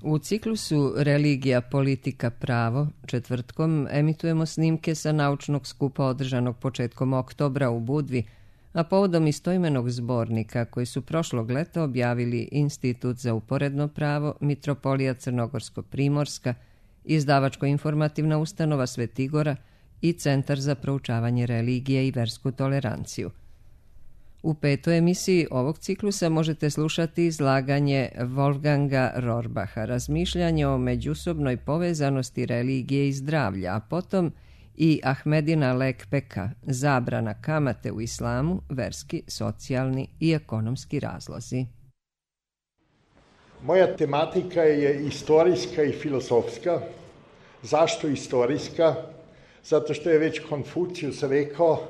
U ciklusu Religija, politika, pravo četvrtkom emitujemo snimke sa naučnog skupa održanog početkom oktobra u Budvi, a povodom istoimenog zbornika koji su prošlog leta objavili Institut za uporedno pravo, Mitropolija Crnogorsko-Primorska, Izdavačko-informativna ustanova Svetigora i Centar za proučavanje religije i versku toleranciju. U 5. emisiji ovog ciklusa možete slušati izlaganje Wolfganga Rohrbacha, razmišljanje o međusobnoj povezanosti religije i zdravlja, a potom i Ahmedina Lekpeka, zabrana kamate u islamu, verski, socijalni i ekonomski razlozi. Moja tematika je istorijska i filozofska. Zašto istorijska? Zato što je već Konfucijus rekao: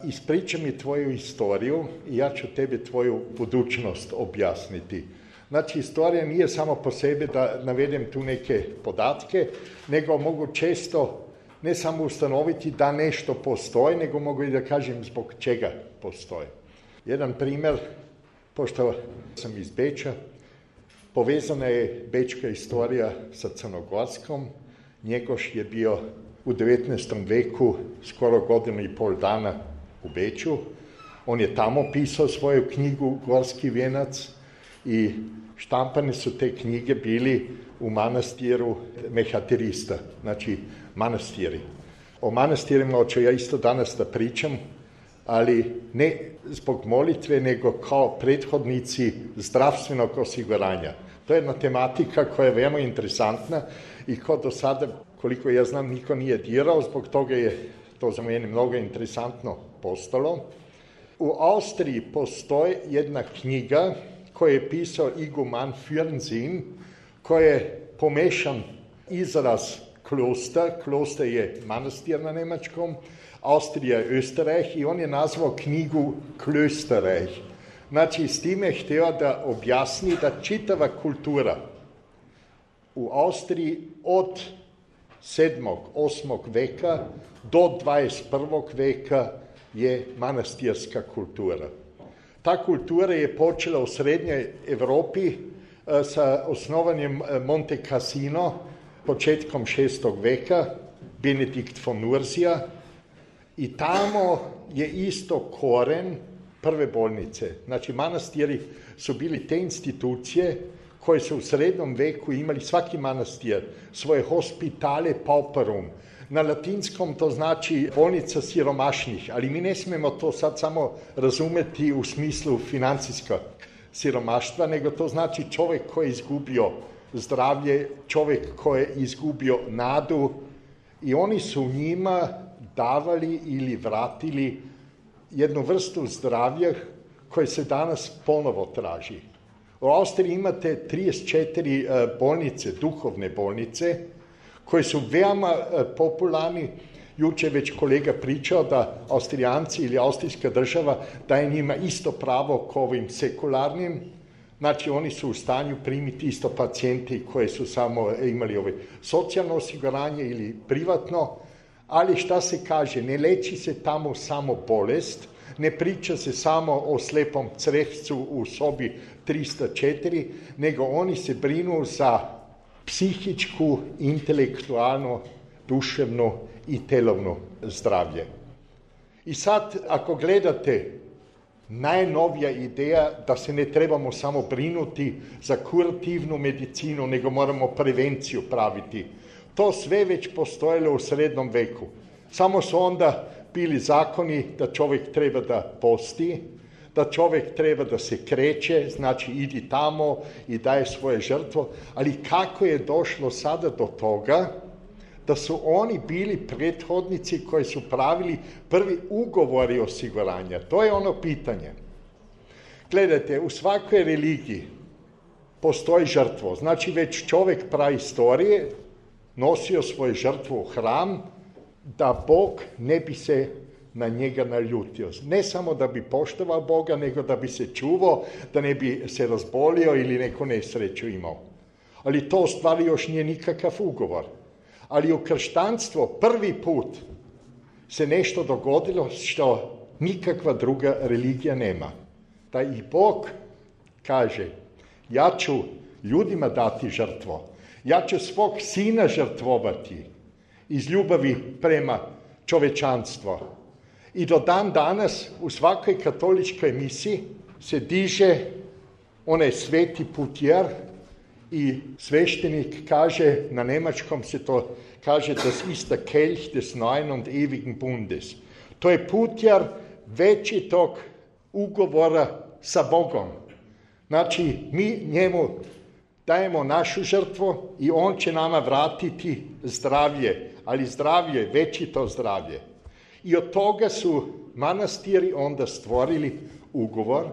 ispričaj mi tvoju istoriju i ja ću tebi tvoju budućnost objasniti. Znači, istorija nije samo po sebi da navedem tu neke podatke, nego mogu često ne samo ustanoviti da nešto postoji, nego mogu i da kažem zbog čega postoji. Jedan primjer, pošto sam iz Beča, povezana je bečka istorija sa crnogorskom. Njegoš je bio u 19. veku skoro godinu i pol dana u Beču. On je tamo pisao svoju knjigu Gorski vijenac i štampane su te knjige bili u manastiru Mehaterista, znači manastiri. O manastirima hoću ja isto danas da pričam, ali ne zbog molitve, nego kao prethodnici zdravstvenog osiguranja. To je jedna tematika koja je veoma interesantna i ko do sada, koliko ja znam, niko nije dirao, zbog toga je to za mene mnogo interesantno postalo. U Austriji postoji jedna knjiga koju je pisao iguman Fürnsinn, koji je pomešan izraz kloster je manastir na nemačkom, Austrija je Österreich i on je nazvao knjigu Klösterreich. Znači, s time je htio da objasni da čitava kultura u Austriji od 7. 8. veka do 21. veka je manastirska kultura. Ta kultura je počela u srednjoj Evropi sa osnovanjem Monte Cassino početkom 6. veka, Benedikt von Nursia, i tamo je isto koren prve bolnice. Znači, manastiri su bili te institucije koje su u srednjem veku imali, svaki manastir, svoje hospitale pauperum. Na latinskom to znači bolnica siromašnih, ali mi ne smemo to sad samo razumeti u smislu financijskog siromaštva, nego to znači čovjek koji je izgubio zdravlje, čovjek koji je izgubio nadu i oni su njima davali ili vratili jednu vrstu zdravlja koje se danas ponovo traži. U Austriji imate 34 bolnice, duhovne bolnice, koje su veoma popularni. Juče već kolega pričao da Austrijanci ili austrijska država daje njima isto pravo kao ovim sekularnim. Znači, oni su u stanju primiti isto pacijenti koji su samo imali socijalno osiguranje ili privatno, ali šta se kaže, ne leči se tamo samo bolest, ne priča se samo o slepom crevcu u sobi 304, nego oni se brinu za psihičku, intelektualno, duševno i telovno zdravlje. I sad, ako gledate, najnovija ideja da se ne trebamo samo brinuti za kurativnu medicinu, nego moramo prevenciju praviti. To sve već postojalo u srednjem veku. Samo su onda bili zakoni da čovjek treba da posti, da čovjek treba da se kreće, znači idi tamo i daje svoje žrtvo, ali kako je došlo sada do toga da su oni bili prethodnici koji su pravili prvi ugovori osiguranja? To je ono pitanje. Gledajte, u svakoj religiji postoji žrtvo, znači već čovjek praistorije nosio svoju žrtvu u hram da Bog ne bi se na njega naljutio. Ne samo da bi poštovao Boga, nego da bi se čuvao, da ne bi se razbolio ili neku nesreću imao. Ali to u stvari još nije nikakav ugovor. Ali u kršćanstvo prvi put se nešto dogodilo što nikakva druga religija nema. Da i Bog kaže, ja ću ljudima dati žrtvo. Ja ću svog sina žrtvovati iz ljubavi prema čovečanstvu. I do dan danas u svakoj katoličkoj misi se diže onaj sveti putjer i sveštenik kaže, na nemačkom se to kaže, das ist der Kelch des neuen und ewigen Bundes. To je putjer večitog ugovora sa Bogom. Znači, mi njemu dajemo našu žrtvu i on će nama vratiti zdravlje, ali zdravlje, večito zdravlje. I od toga su manastiri onda stvorili ugovor,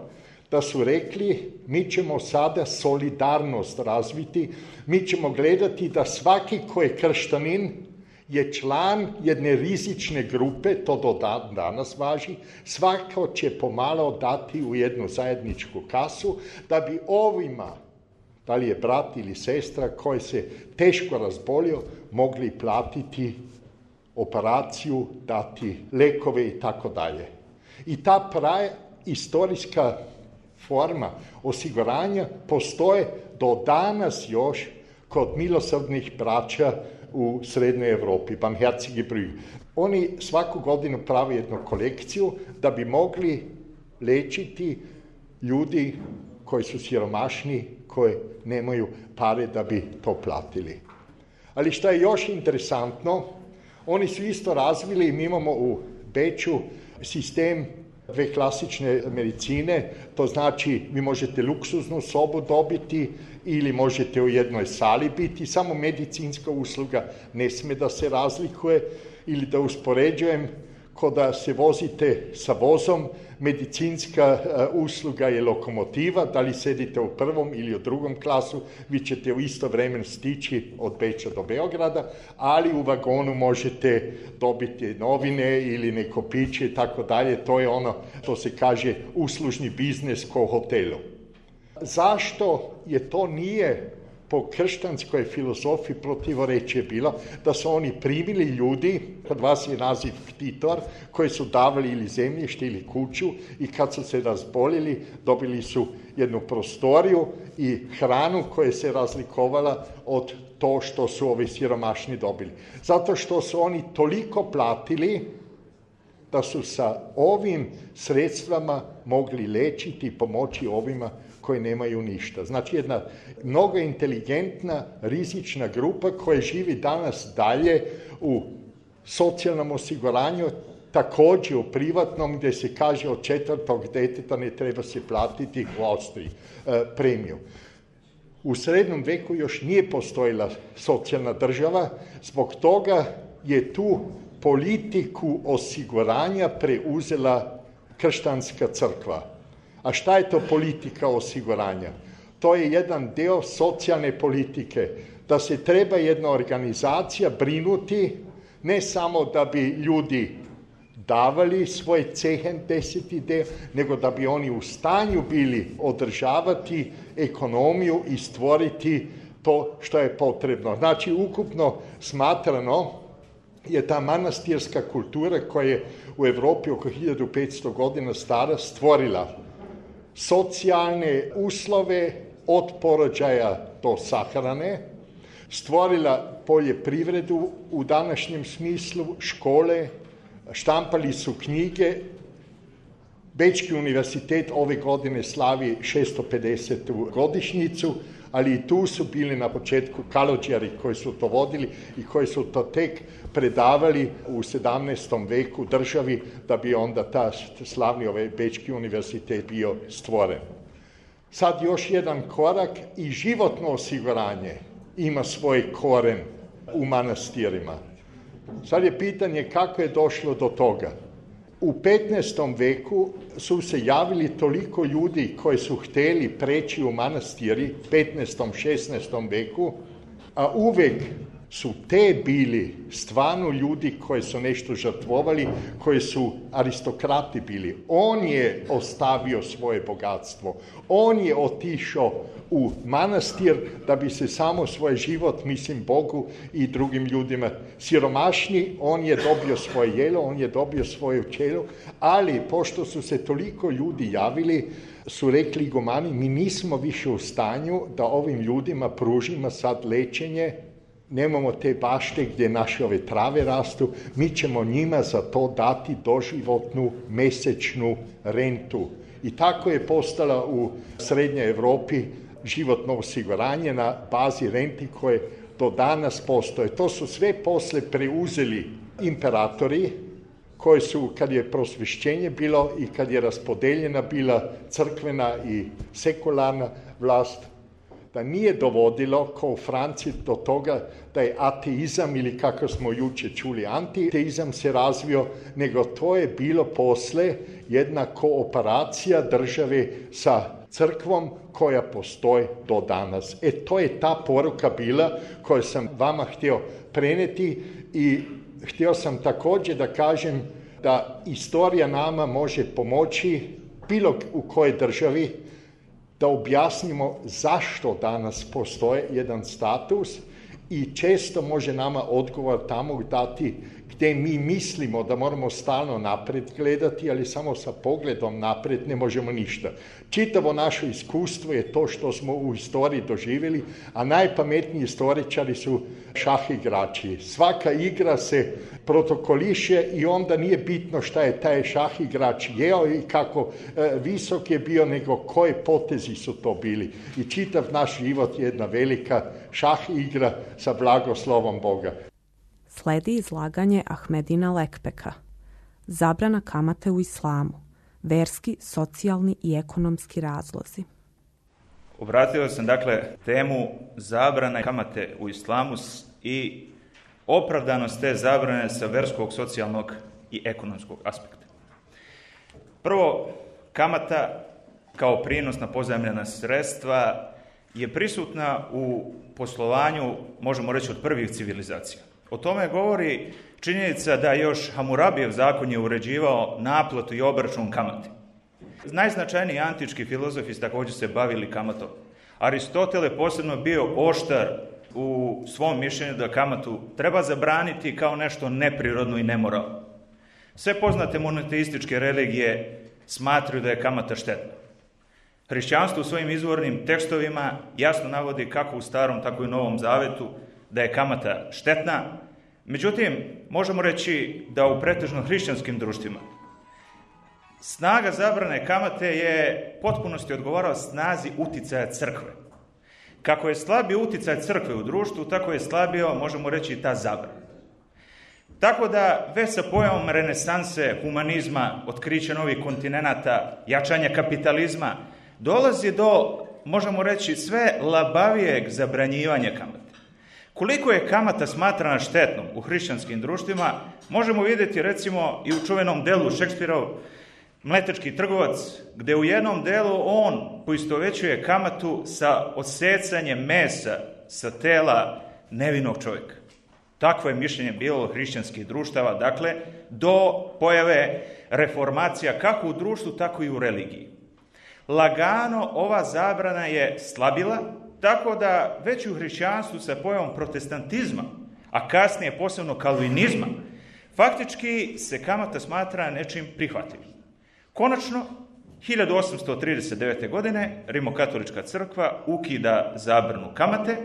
da su rekli, mi ćemo sada solidarnost razviti, mi ćemo gledati da svaki ko je krštanin je član jedne rizične grupe, to do danas važi, svako će pomalo dati u jednu zajedničku kasu, da bi ovima, da li je brat ili sestra koji se teško razbolio, mogli platiti operaciju, dati lekove i tako dalje. I ta istorijska forma osiguranja postoje do danas još kod milosrdnih braća u Srednjoj Evropi, Barmherzige Brüder. Oni svaku godinu prave jednu kolekciju da bi mogli lečiti ljudi koji su siromašni, koji nemaju pare da bi to platili. Ali što je još interesantno, oni su isto razvili, mi imamo u Beču sistem dve klasične medicine, to znači vi možete luksuznu sobu dobiti ili možete u jednoj sali biti, samo medicinska usluga ne sme da se razlikuje ili da uspoređujem, ko da se vozite sa vozom, medicinska usluga je lokomotiva, da li sedite u prvom ili u drugom klasu, vi ćete u isto vremenu stići od Beča do Beograda, ali u vagonu možete dobiti novine ili neko piće i tako dalje, to je ono što se kaže uslužni biznis ko hotelu. Zašto je to nije po kršćanskoj filozofiji protivorečje bilo, da su oni primili ljudi, kod vas je naziv ktitor, koji su davali ili zemljište ili kuću i kad su se razbolili, dobili su jednu prostoriju i hranu koja se razlikovala od to što su ovi siromašni dobili. Zato što su oni toliko platili da su sa ovim sredstvama mogli lečiti i pomoći ovima koji nemaju ništa. Znači jedna mnogo inteligentna, rizična grupa koja živi danas dalje u socijalnom osiguranju, također u privatnom gdje se kaže od 4. deteta ne treba se platiti u Austriji premiju. U srednjem veku još nije postojila socijalna država, zbog toga je tu politiku osiguranja preuzela kršćanska crkva. A šta je to politika osiguranja? To je jedan deo socijalne politike, da se treba jedna organizacija brinuti ne samo da bi ljudi davali svoj cehen 10. deo, nego da bi oni u stanju bili održavati ekonomiju i stvoriti to što je potrebno. Znači, ukupno smatrano je ta manastirska kultura koja je u Evropi oko 1500 godina stara stvorila socijalne uslove od porođaja do sahrane, stvorila poljoprivredu u današnjem smislu, škole, štampali su knjige. Bečki univerzitet ove godine slavi 650. godišnjicu, ali i tu su bili na početku kalođari koji su to vodili i koji su to tek predavali u 17. veku državi da bi onda ta slavni Bečki univerzitet bio stvoren. Sad još jedan korak i životno osiguranje ima svoj koren u manastirima. Sad je pitanje kako je došlo do toga. U 15. veku su se javili toliko ljudi koji su htjeli preći u manastiri, 15. 16. veku, a uvek su te bili stvarno ljudi koji su nešto žrtvovali, koji su aristokrati bili. On je ostavio svoje bogatstvo, on je otišao u manastir da bi se samo svoj život, mislim Bogu i drugim ljudima siromašni, on je dobio svoje jelo, on je dobio svoju čelu, ali pošto su se toliko ljudi javili, su rekli igumani, mi nismo više u stanju da ovim ljudima pružimo sad lečenje, nemamo te bašte gdje naše ove trave rastu, mi ćemo njima za to dati doživotnu mesečnu rentu. I tako je postala u Srednjoj Evropi životno osiguranje na bazi renti koje do danas postoje. To su sve posle preuzeli imperatori koji su, kad je prosvješćenje bilo i kad je raspodeljena bila crkvena i sekularna vlast, da nije dovodilo, kao u Franciji, do toga da je ateizam, ili kako smo jučer čuli, antiteizam se razvio, nego to je bilo posle jedna kooperacija države sa crkvom koja postoji do danas. To je ta poruka bila koju sam vama htio preneti i htio sam također da kažem da istorija nama može pomoći bilo u kojoj državi da objasnimo zašto danas postoji jedan status i često može nama odgovor tamo dati gdje mi mislimo da moramo stalno napred gledati, ali samo sa pogledom napred ne možemo ništa. Čitavo naše iskustvo je to što smo u istoriji doživjeli, a najpametniji istoričari su šah igrači. Svaka igra se protokoliše i onda nije bitno šta je taj šah igrač jeo i kako visok je bio, nego koje potezi su to bili. I čitav naš život je jedna velika šah igra sa blagoslovom Boga. Sledi izlaganje Ahmedina Lekpeka. Zabrana kamate u islamu. Verski, socijalni i ekonomski razlozi. Obratio sam temu zabrane kamate u islamu i opravdanost te zabrane sa verskog, socijalnog i ekonomskog aspekta. Prvo, kamata kao prinos na pozajmljena sredstva je prisutna u poslovanju, možemo reći, od prvih civilizacija. O tome govori činjenica da još Hamurabijev zakon je uređivao naplatu i obračun kamate. Najznačajniji antički filozofi također se bavili kamatom. Aristotel je posebno bio oštar u svom mišljenju da kamatu treba zabraniti kao nešto neprirodno i nemoralno. Sve poznate monoteističke religije smatraju da je kamata štetna. Hrišćanstvo u svojim izvornim tekstovima jasno navodi kako u Starom, tako i u Novom Zavetu da je kamata štetna. Međutim, možemo reći da u pretežno hrišćanskim društvima snaga zabrane kamate je potpunosti odgovarao snazi uticaja crkve. Kako je slabio uticaj crkve u društvu, tako je slabio, možemo reći, i ta zabrana. Tako da već sa pojavom renesanse, humanizma, otkrića novih kontinenata, jačanja kapitalizma, dolazi do, možemo reći, sve labavijeg zabranjivanja kamate. Koliko je kamata smatrana štetnom u hrišćanskim društvima, možemo vidjeti recimo i u čuvenom delu Šekspirov Mletečki trgovac, gdje u jednom delu on poistovjećuje kamatu sa odsecanjem mesa sa tela nevinog čovjeka. Takvo je mišljenje bilo hrišćanskih društava, do pojave reformacija kako u društvu, tako i u religiji. Lagano ova zabrana je slabila, tako da već u hrišćanstvu sa pojavom protestantizma, a kasnije posebno kalvinizma, faktički se kamata smatra nečim prihvatljivim. Konačno, 1839. godine Rimokatolička crkva ukida zabranu kamate,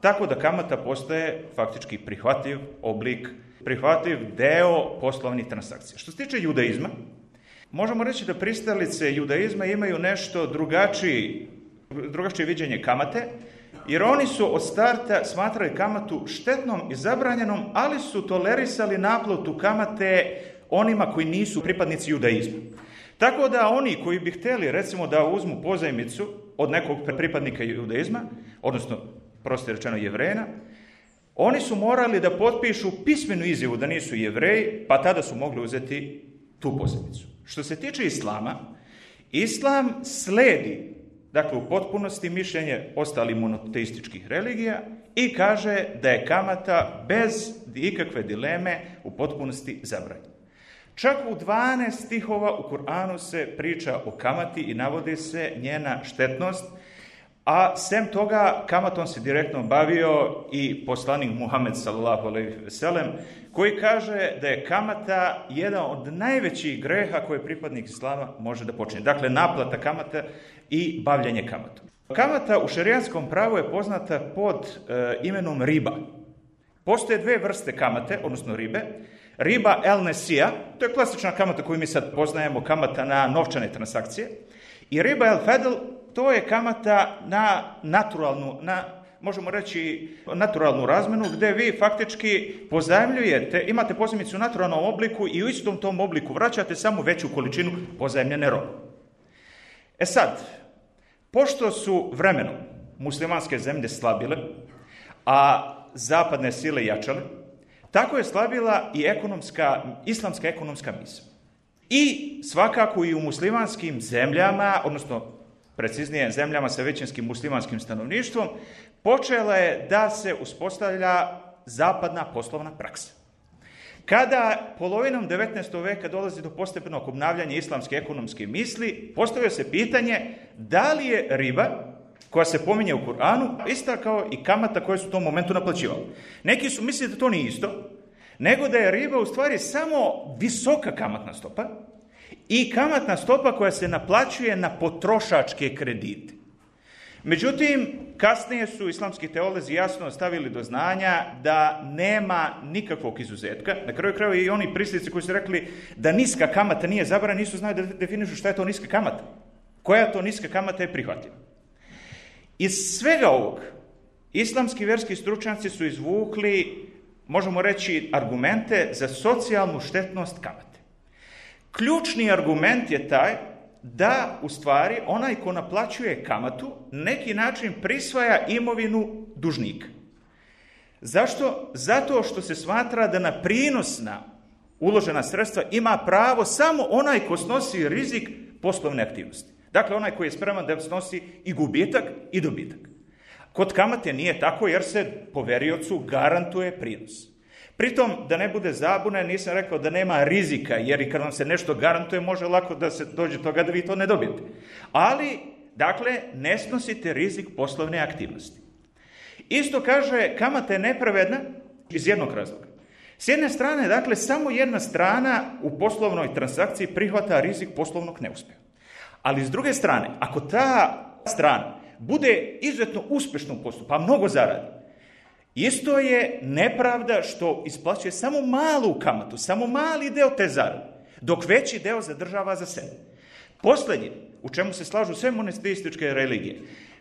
tako da kamata postaje faktički prihvatljiv oblik, prihvatljiv deo poslovnih transakcija. Što se tiče judaizma, možemo reći da pristalice judaizma imaju nešto drugačije viđenje kamate, jer oni su od starta smatrali kamatu štetnom i zabranjenom, ali su tolerisali naplatu kamate onima koji nisu pripadnici judaizma. Tako da oni koji bi htjeli, recimo, da uzmu pozajmicu od nekog pripadnika judaizma, odnosno, prosto rečeno, Jevrejina, oni su morali da potpišu pismenu izjavu da nisu Jevreji, pa tada su mogli uzeti tu pozajmicu. Što se tiče islama, islam sledi, u potpunosti mišljenje ostalih monoteističkih religija i kaže da je kamata bez ikakve dileme u potpunosti zabranjena. Čak u 12 stihova u Kur'anu se priča o kamati i navodi se njena štetnost, A sem toga, kamatom se direktno bavio i poslanik Muhammed sallallahu alejhi ve sellem, koji kaže da je kamata jedan od najvećih greha koje pripadnik islama može da počini. Dakle, naplata kamata i bavljenje kamatom. Kamata u šerijatskom pravu je poznata pod imenom riba. Postoje dve vrste kamate, odnosno ribe. Riba el nesija, to je klasična kamata koju mi sad poznajemo, kamata na novčane transakcije. I riba el fedl, to je kamata na naturalnu, možemo reći, naturalnu razmenu, gde vi faktički pozajmljujete, imate pozajmicu u naturalnom obliku i u istom tom obliku vraćate samo veću količinu pozajmljene robe. E sad, pošto su vremenom muslimanske zemlje slabile, a zapadne sile jačale, tako je slabila i islamska ekonomska misao. I svakako i u muslimanskim zemljama, odnosno preciznije zemljama sa većinskim muslimanskim stanovništvom, počela je da se uspostavlja zapadna poslovna praksa. Kada polovinom 19. veka dolazi do postepenog obnavljanja islamske ekonomske misli, postavlja se pitanje da li je riba, koja se pominje u Kur'anu, ista kao i kamata koje su u tom momentu naplaćivali. Neki su mislili da to nije isto, nego da je riba u stvari samo visoka kamatna stopa i kamatna stopa koja se naplaćuje na potrošačke kredite. Međutim, kasnije su islamski teolozi jasno stavili do znanja da nema nikakvog izuzetka. Na kraju krajeva i oni prislici koji su rekli da niska kamata nije zabranjena, nisu znali da definišu šta je to niska kamata. Koja to niska kamata je prihvatljiva. Iz svega ovog, islamski vjerski stručnjaci su izvukli, možemo reći, argumente za socijalnu štetnost kamate. Ključni argument je taj da, u stvari, onaj ko naplaćuje kamatu, neki način prisvaja imovinu dužnika. Zašto? Zato što se smatra da na prinosna uložena sredstva ima pravo samo onaj ko snosi rizik poslovne aktivnosti. Dakle, onaj koji je spreman da snosi i gubitak i dobitak. Kod kamate nije tako jer se poveriocu garantuje prinos. Pritom, da ne bude zabune, nisam rekao da nema rizika, jer i kad vam se nešto garantuje, može lako da se dođe toga da vi to ne dobijete. Ali, dakle, ne snosite rizik poslovne aktivnosti. Isto kaže, kamata je nepravedna iz jednog razloga. S jedne strane, dakle, samo jedna strana u poslovnoj transakciji prihvata rizik poslovnog neuspeha. Ali s druge strane, ako ta strana bude izuzetno uspješno u poslu, pa mnogo zaradi, isto je nepravda što isplaćuje samo malu kamatu, samo mali deo te zarade, dok veći deo zadržava za sebe. Posljednje, u čemu se slažu sve monoteističke religije,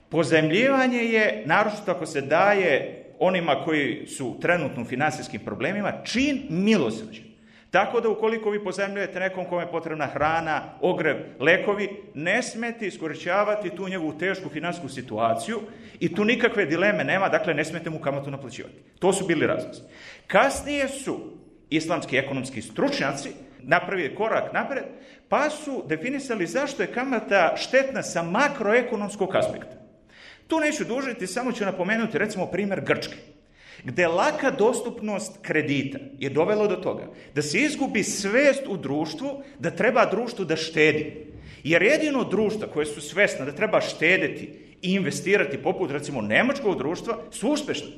pozajmljivanje je, naročito ako se daje onima koji su trenutno u finansijskim problemima, čin milosrđa. Tako da ukoliko vi pozajmljujete nekom kome je potrebna hrana, ogrev, lekovi, ne smete iskorištavati tu njegovu tešku finansijsku situaciju i tu nikakve dileme nema, dakle ne smete mu kamatu naplaćivati. To su bili razlozi. Kasnije su islamski ekonomski stručnjaci napravili korak napred, pa su definisali zašto je kamata štetna sa makroekonomskog aspekta. Tu neću dužiti, samo ću napomenuti recimo primjer Grčke, gde laka dostupnost kredita je dovelo do toga da se izgubi svest u društvu da treba društvu da štedi. Jer jedino društva koje su svesna da treba štedeti i investirati, poput recimo nemačkog društva, su uspešne.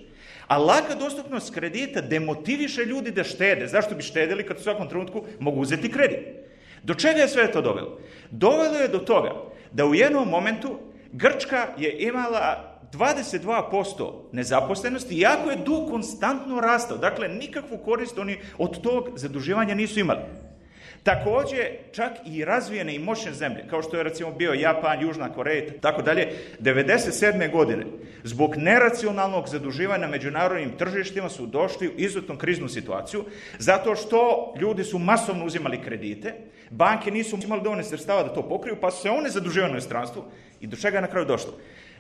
A laka dostupnost kredita demotiviše ljudi da štede. Zašto bi štedili kad u svakom trenutku mogu uzeti kredit? Do čega je sve to dovelo? Dovelo je do toga da u jednom momentu Grčka je imala 22% nezaposlenosti, iako je dug konstantno rastao. Dakle, nikakvu korist oni od tog zaduživanja nisu imali. Također, čak i razvijene i moćne zemlje, kao što je recimo bio Japan, Južna Koreja, tako dalje, 1997. godine, zbog neracionalnog zaduživanja na međunarodnim tržištima su došli u izuzetnu kriznu situaciju, zato što ljudi su masovno uzimali kredite, banke nisu imali dovoljno sredstava da to pokriju, pa su se one zaduživali u inostranstvu i do čega je na kraju došlo?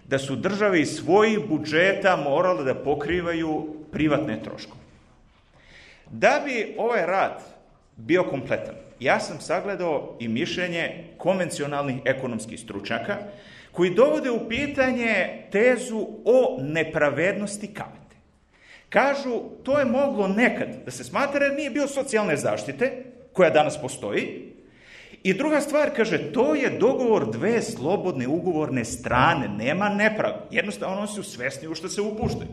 Da su države iz svojih budžeta morale da pokrivaju privatne troškove. Da bi ovaj rad bio kompletan, ja sam sagledao i mišljenje konvencionalnih ekonomskih stručnjaka koji dovode u pitanje tezu o nepravednosti kamate. Kažu, to je moglo nekad da se smatra jer nije bio socijalne zaštite, koja danas postoji, I druga stvar, kaže, to je dogovor dve slobodne ugovorne strane, nema nepravde. Jednostavno, oni su svesni u što se upuštaju.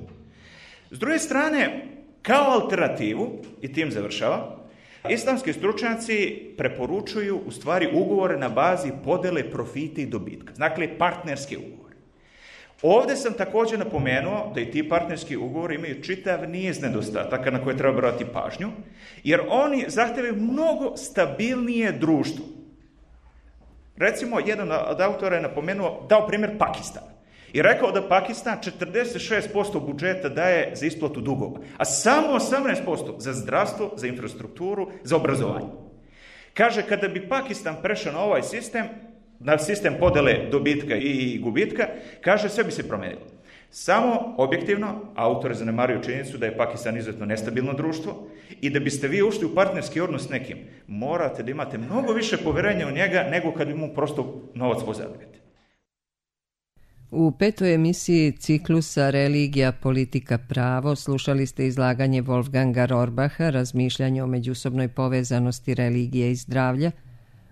S druge strane, kao alternativu, i tim završava, islamski stručnjaci preporučuju u stvari ugovore na bazi podele profita i dobitka. Dakle, partnerski ugovor. Ovdje sam također napomenuo da i ti partnerski ugovori imaju čitav niz nedostataka na koje treba brati pažnju, jer oni zahtevaju mnogo stabilnije društvo. Recimo, jedan od autora je dao primjer Pakistana i rekao da Pakistan 46% budžeta daje za isplatu dugova, a samo 18% za zdravstvo, za infrastrukturu, za obrazovanje. Kaže, kada bi Pakistan prešao na ovaj sistem, na sistem podele dobitka i gubitka, kaže, sve bi se promenilo. Samo objektivno, autor zanemaruju činjenicu da je Pakistan izuzetno nestabilno društvo i da biste vi ušli u partnerski odnos s nekim, morate da imate mnogo više poverenja u njega nego kad bi mu prosto novac pozabijete. U 5. emisiji ciklusa Religija, politika, pravo slušali ste izlaganje Wolfganga Rohrbacha, razmišljanje o međusobnoj povezanosti religije i zdravlja,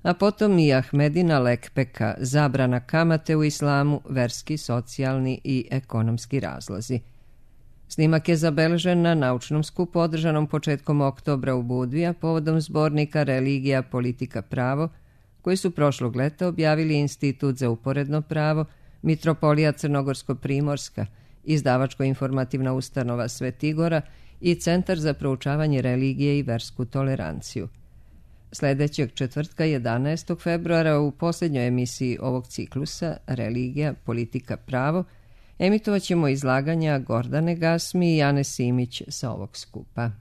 a potom i Ahmedina Lekpeka, zabrana kamate u islamu, verski, socijalni i ekonomski razlozi. Snimak je zabeležen na naučnom skupu održanom početkom oktobra u Budvi, a povodom zbornika Religija, politika, pravo, koji su prošlog leta objavili Institut za uporedno pravo, Mitropolija Crnogorsko-Primorska, Izdavačko-informativna ustanova Svetigora i Centar za proučavanje religije i versku toleranciju. Sljedećeg četvrtka 11. februara u posljednjoj emisiji ovog ciklusa Religija, politika, pravo emitovat ćemo izlaganja Gordane Gasmi i Ane Simić sa ovog skupa.